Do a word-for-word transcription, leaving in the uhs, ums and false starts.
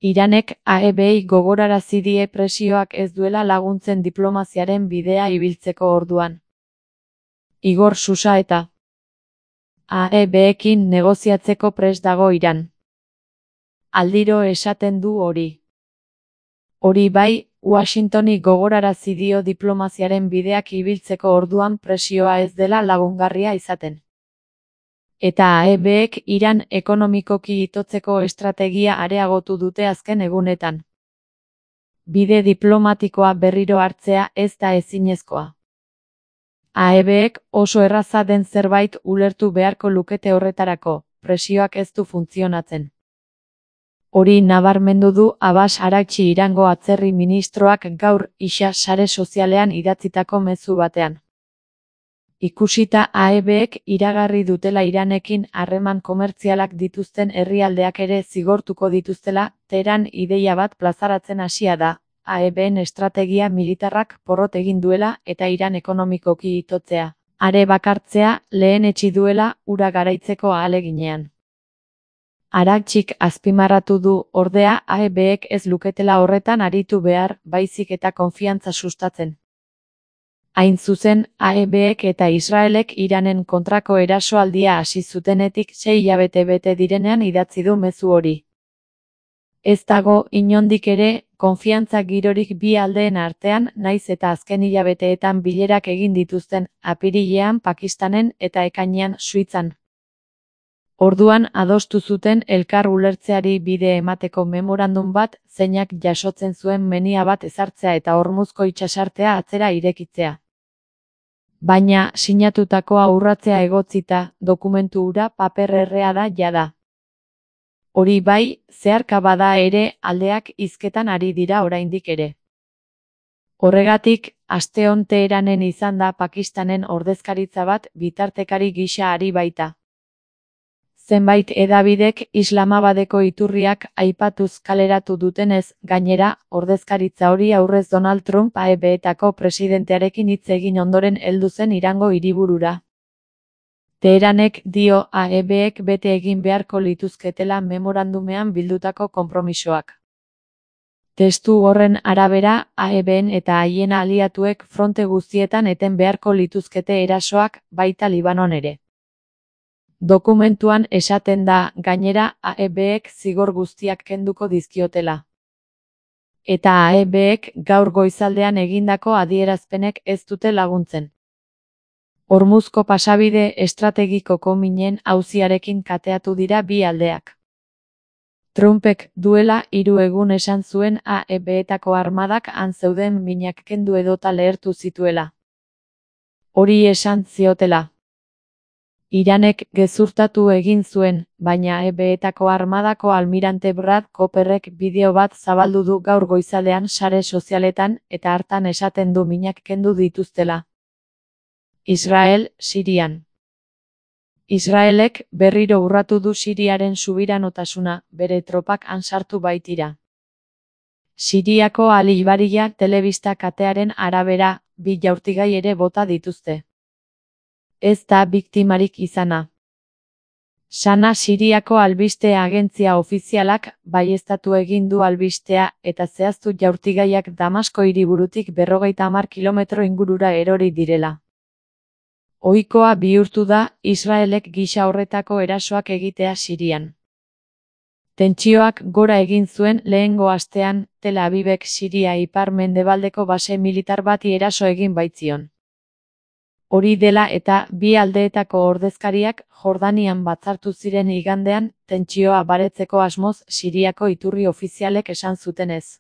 Iranek A E Bei gogorarazi die presioak ez duela laguntzen diplomaziaren bidea ibiltzeko orduan. Igor Susa eta A E Beekin negoziatzeko prest dago Iran. Aldiro esaten du hori. Hori bai, Washingtoni gogorarazi dio diplomaziaren bideak ibiltzeko orduan presioa ez dela lagungarria izaten. Eta A E Bek Iran ekonomikoki itotzeko estrategia areagotu dute azken egunetan. Bide diplomatikoa berriro hartzea ez da ezinezkoa. A E Bek oso erraza den zerbait ulertu beharko lukete horretarako, presioak ez du funtzionatzen. Hori nabarmendu du Abbas Araghchi Irango atzerri ministroak gaur isa sare sozialean idatzitako mezu batean. Ikusita A E Bek iragarri dutela Iranekin harreman komertzialak dituzten herrialdeak ere zigortuko dituztela, Teheran ideia bat plazaratzen hasia da, A E Ben estrategia militarrak porrot egin duela eta Iran ekonomikoki itotzea, are bakartzea lehenetsi duela hura garaitzeko ahaleginean. Araghchik azpimarratu du, ordea, A E Bek ez luketela horretan aritu behar, baizik eta konfiantza sustatzen. Hain zuzen, A E Bek eta Israelek Iranen kontrako erasoaldia hasi zutenetik sei hilabete bete direnean idatzi du mezu hori. Ez dago, inondik ere, konfiantza girorik bi aldeen artean, naiz eta azken hilabeteetan bilerak egin dituzten, apirilean Pakistanen eta ekainean Suitzan. Orduan adostu zuten elkar ulertzeari bide emateko memorandum bat, zeinak jasotzen zuen menia bat ezartzea eta Hormuzko itsasartea atzera irekitzea. Baina, sinatutakoa urratzea egotzita, dokumentu hura paper errea da jada. Hori bai, zeharka bada ere, aldeak hizketan ari dira oraindik ere. Horregatik, asteon Teheranen izan da Pakistanen ordezkaritza bat bitartekari gisa ari baita. Zenbait hedabidek Islamabadeko iturriak aipatuz kaleratu dutenez, gainera, ordezkaritza hori aurrez Donald Trump A E Betako presidentearekin hitz egin ondoren heldu zen Irango hiriburura. Teheranek dio A E Bek bete egin beharko lituzketela memorandumean bildutako konpromisoak. Testu horren arabera, A E Ben eta haien aliatuek fronte guztietan eten beharko lituzkete erasoak, baita Libanon ere. Dokumentuan esaten da, gainera, A E Bek zigor guztiak kenduko dizkiotela. Eta A E Bek gaur goizaldean egindako adierazpenek ez dute laguntzen. Hormuzko pasabide estrategikoko minen auziarekin kateatu dira bi aldeak. Trumpek duela hiru egun esan zuen A E Betako armadak han zeuden minak kendu edota lehertu zituela. Hori esan ziotela. Iranek gezurtatu egin zuen, baina A E Betako armadako almirante Brad Cooperrek bideo bat zabaldu du gaur goizaldean sare sozialetan eta hartan esaten du minak kendu dituztela. Israel, Sirian. Israelek berriro urratu du Siriaren subiranotasuna, bere tropak han sartu baitira. Siriako Al Ijbaria telebista katearen arabera, bi jaurtigai ere bota dituzte. Ez da biktimarik izana. Sana Siriako albiste agentzia ofizialak baieztatu egin du albistea eta zehaztu jaurtigaiak Damasko hiriburutik berrogeita hamar kilometro ingurura erori direla. Ohikoa bihurtu da Israelek gisa horretako erasoak egitea Sirian. Tentsioak gora egin zuen lehengo astean, Tel Avivek Siria ipar-mendebaldeko base militar bati eraso egin baitzion. Hori dela eta bi aldeetako ordezkariak Jordanian batzartu ziren igandean, tentsioa baretzeko asmoz Siriako iturri ofizialek esan zutenez.